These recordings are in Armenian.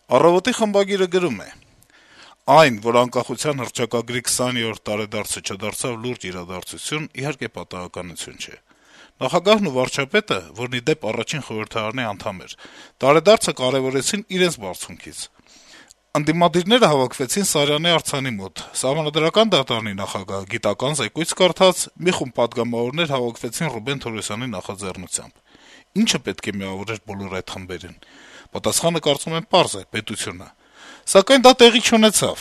Առավոտի խմբագիրը գրում է. - «Այն, որ անկախության հռչակագրի 20-րդ տարեդարձը չդարձավ լուրջ իրադարձություն, իհարկե պատահականություն չէ: Նախագահն ու վարչապետը, որն ի դեպ առաջին խորհրդարանի անդամ էր, տարեդարձը կարեւորեցին իրենց բարձունքից: Ընդդիմադիրները հավաքվեցին Սարյանի արձանի մոտ, Սահմանադրական դատարանի նախագահը գիտական զեկույց կարդաց, մի խումբ պատգամավորներ հավաքվեցին Ռուբեն Թորոսյանի նախաձեռնությամբ: Ի՞նչը պետք է միավորեր բոլոր այդ խմբերին: Պատասխանը, կարծում եմ, պարզ է՝ պետությունը: Սակայն դա տեղի չունեցավ: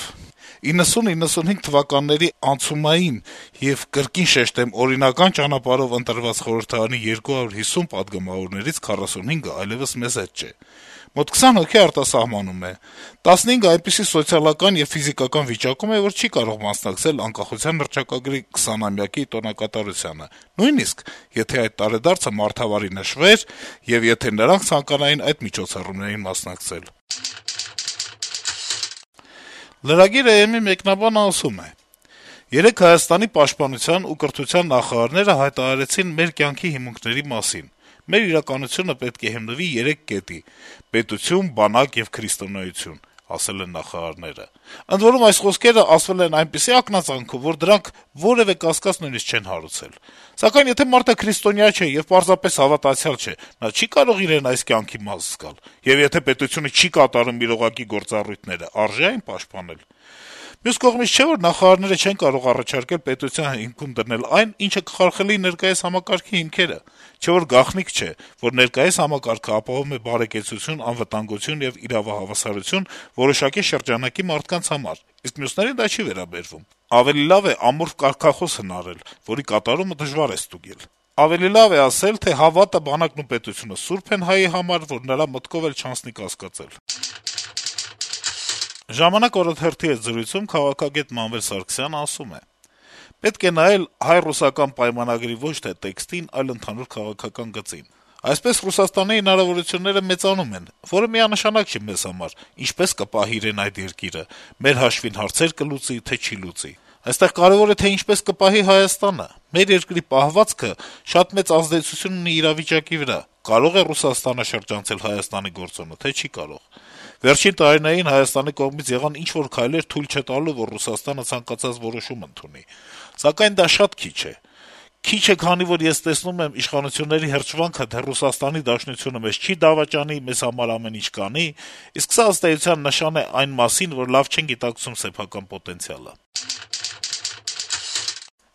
90-95 թվականների անցումային եւ, կրկին շեշտեմ, օրինական ճանապարհով ընտրված խորհրդարանի 250 պատգամավորներից 45-ը այլեւս մեզ հետ չէ: Մոտ 20 հոգի արտասահմանում է, 15-ը այնպիսի սոցիալական եւ ֆիզիկական վիճակում է, որ չի կարող մասնակցել անկախության հռչակագրի 20-ամյակի տոնակատարությանը, նույնիսկ եթե այդ տարեդարձը մարդավարի նշվեր եւ եթե նրանք ցանկանային այդ միջոցառումներին մասնակցել»: Lragir.am-ի մեկնաբանը ասում է. - «Երեկ Հայաստանի պաշտպանության ու կրթության նախարարները հայտարարեցին մեր կյանքի հիմունքների մասին: Մեր իրականությունը պետք է հիմնվի 3 կետի՝ պետություն, բանակ եւ քրիստոնեություն, ասել են նախարարները: Ընդ որում, այս խոսքերը ասվել են այնպիսի ակնածանով, որ դրանք որեւէ կասկած նույնիսկ չեն հարուցել: Սակայն եթե մարդը քրիստոնյա չէ եւ պարզապես հավատացյալ չէ, նա չի կարող իրեն այս կյանքի մաս զգալ: Եվ եթե պետությունը չի կատարում իրողակի գործառույթները, արժե՞ այն պաշտպանել: Մյուս կողմից, չէ՞ որ նախարարները չեն կարող առաջարկել պետության հիմքում դնել այն, ինչը կխարխլի ներկայիս համակարգի հիմքերը: Չէ՞ որ գաղտնիք չէ, որ ներկայիս համակարգը ապահովում է բարեկեցություն, անվտանգություն եւ իրավահավասարություն որոշակի շրջանակի մարդկանց համար, իսկ մյուսներին դա չի վերաբերվում: Ավելի լավ է ամորֆ կարգախոս հնարել, որի կատարումը դժվար է ստուգել: Ավելի լավ է ասել, թե հավատը, բանակն ու պետությունը սուրբ են հայի համար, որ նրա մտքով էլ չանցնի կասկածել»: «Ժամանակ» օրաթերթի հետ զրույցում քաղաքագետ Մանվել Սարգսյանը ասում է. - «Պետք է նայել հայ-ռուսական պայմանագրի ոչ թե տեքստին, այլ ընդհանուր քաղաքական գծին: Այսպես Ռուսաստանի հնարավորությունները մեծանում են, որը միանշանակ չի մեզ համար՝ ինչպե՞ս կպահի իրեն այդ երկիրը, մեր հաշվին հարցեր կլուծի, թե չի լուծի: Այստեղ կարեւոր է, թե ինչպես կպահի Հայաստանը: Մեր երկրի պահվածքը շատ մեծ ազդեցություն ունի իրավիճակի վրա: Կարո՞ղ է Ռուսաստանը շրջանցել Հայաստանի գործոնը, թե չի կարող: Վերջին տարիներին Հայաստանի կողմից եղան ինչ-որ քայլեր թույլ չտալու, որ Ռուսաստանը ցանկացած որոշում ընդունի: Սակայն դա շատ քիչ է: Քիչ է, քանի որ ես տեսնում եմ իշխանությունների հրճվանքը, թե Ռուսաստանի Դաշնությունը մեզ չի դավաճանի, մեզ համար ամեն ինչ կանի, իսկ սա, ըստ էության, նշան է այն մասին, որ լավ չեն գիտակցում սեփական պոտենցիալը»: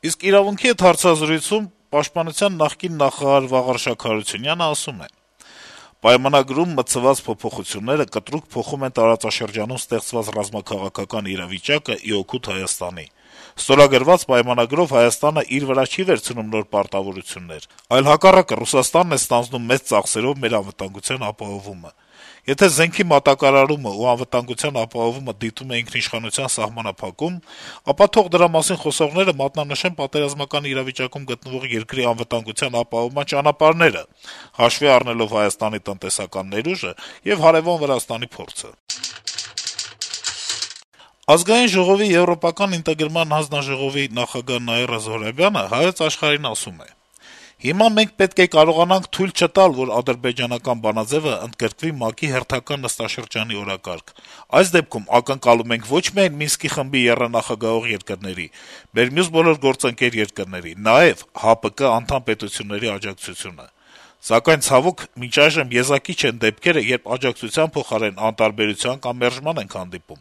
Իսկ «Իրավունք»-ի հետ հարցազրույցում Պաշտպանության նախկին նախարար Վաղարշակ Հարությունյանը ասում է. - «Պայմանագրում մտցված փոփոխությունները կտրուկ փոխում են տարածաշրջանում ստեղծված ռազմաքաղաքական իրավիճակը ի օգուտ Հայաստանի: Ստորագրված պայմանագրով Հայաստանը իր վրա չի վերցնում նոր պարտավորություններ, այլ հակառակը, Ռուսաստանն է ստանձնում մեծ ծախսերով մեր անվտանգության ապահովումը: Եթե զենքի մատակարարումն ու անվտանգության ապահովումը դիտում է ինքնիշխանության սահմանափակում, ապա թող դրա մասին խոսողները մատնանշեն պատերազմական իրավիճակում գտնվող երկրի անվտանգության ապահովման ճանապարհները, հաշվի առնելով Հայաստանի տնտեսական ներուժը եւ հարեւան Վրաստանի փորձը»: Ազգային ժողովի եվրոպական ինտեգրման հանձնաժողովի նախագահ Նաիրա Զոհրաբյանը «Հայոց Աշխարհ»-ին ասում է. - «Հիմա մենք պետք է կարողանանք թույլ չտալ, որ ադրբեջանական բանաձեւը ընդգրկվի ՄԱԿ-ի հերթական նստաշրջանի օրակարգ: Այս դեպքում ակնկալում ենք ոչ միայն Մինսկի խմբի եռանախագահող երկրների, մեր մյուս բոլոր գործընկեր երկրների, նաեւ ՀԱՊԿ անդամ պետությունների աջակցությունը: Սակայն, ցավոք, մինչ այժմ եզակի չեն դեպքերը, երբ աջակցության փոխարեն անտարբերության կամ մերժման ենք հանդիպում: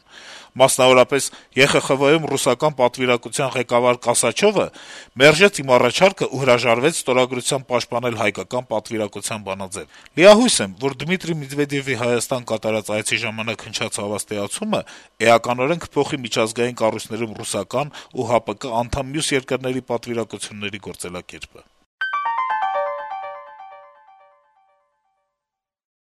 Մասնավորապես, ԵԽԽՎ-ում ռուսական պատվիրակության ղեկավար Կասաչովը մերժեց իմ առաջարկը ու հրաժարվեց ստորագրությամբ պաշտպանել հայկական պատվիրակության բանաձեւ: Լիահույս եմ, որ Դմիտրի Մեդվեդեւի Հայաստան կատարած այցի ժամանակ հնչած հավաստիացումը էականորեն կփոխի միջազգային կառույցներում ռուսական ու ՀԱՊԿ անդամ մյուս երկրների պատվիրակությունների գործելակերպը»: